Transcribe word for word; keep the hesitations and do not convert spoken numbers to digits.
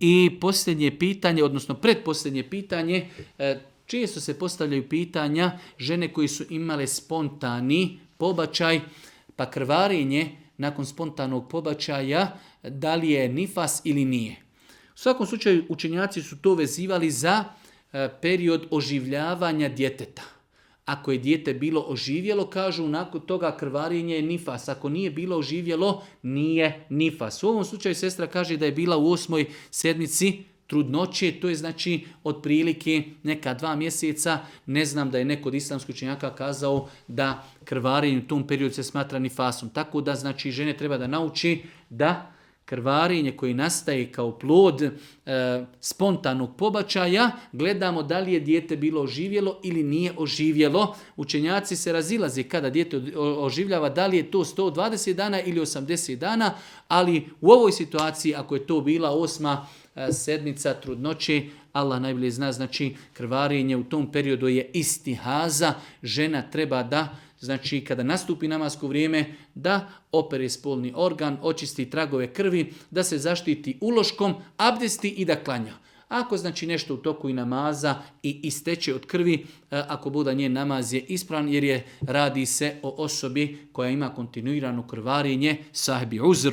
I posljednje pitanje, odnosno predposljednje pitanje, često se postavljaju pitanja žene koji su imale spontani pobačaj, pa krvarenje nakon spontanog pobačaja, da li je nifas ili nije. U svakom slučaju učenjaci su to vezivali za period oživljavanja djeteta. Ako je dijete bilo oživjelo, kažu nakon toga krvarenje je nifas. Ako nije bilo oživjelo, nije nifas. U ovom slučaju sestra kaže da je bila u osmoj sedmici trudnoće, to je znači otprilike neka dva mjeseca. Ne znam da je neko od islamskih učenjaka kazao da krvarenje u tom periodu se smatra nifasom. Tako da znači žene treba da nauči da krvarenje koje nastaje kao plod e, spontanog pobačaja, gledamo da li je dijete bilo oživjelo ili nije oživjelo. Učenjaci se razilaze kada dijete oživljava, da li je to sto dvadeset dana ili osamdeset dana, ali u ovoj situaciji, ako je to bila osma e, sedmica trudnoće, Allah najbolje zna, znači krvarenje u tom periodu je istihaza, žena treba da, znači kada nastupi namasko vrijeme, da opere spolni organ, očisti tragove krvi, da se zaštiti uloškom, abdesti i da klanja. Ako znači nešto u toku i namaza i isteče od krvi, ako bude njen namaz je ispravan jer je radi se o osobi koja ima kontinuirano krvarenje, sahibi uzr.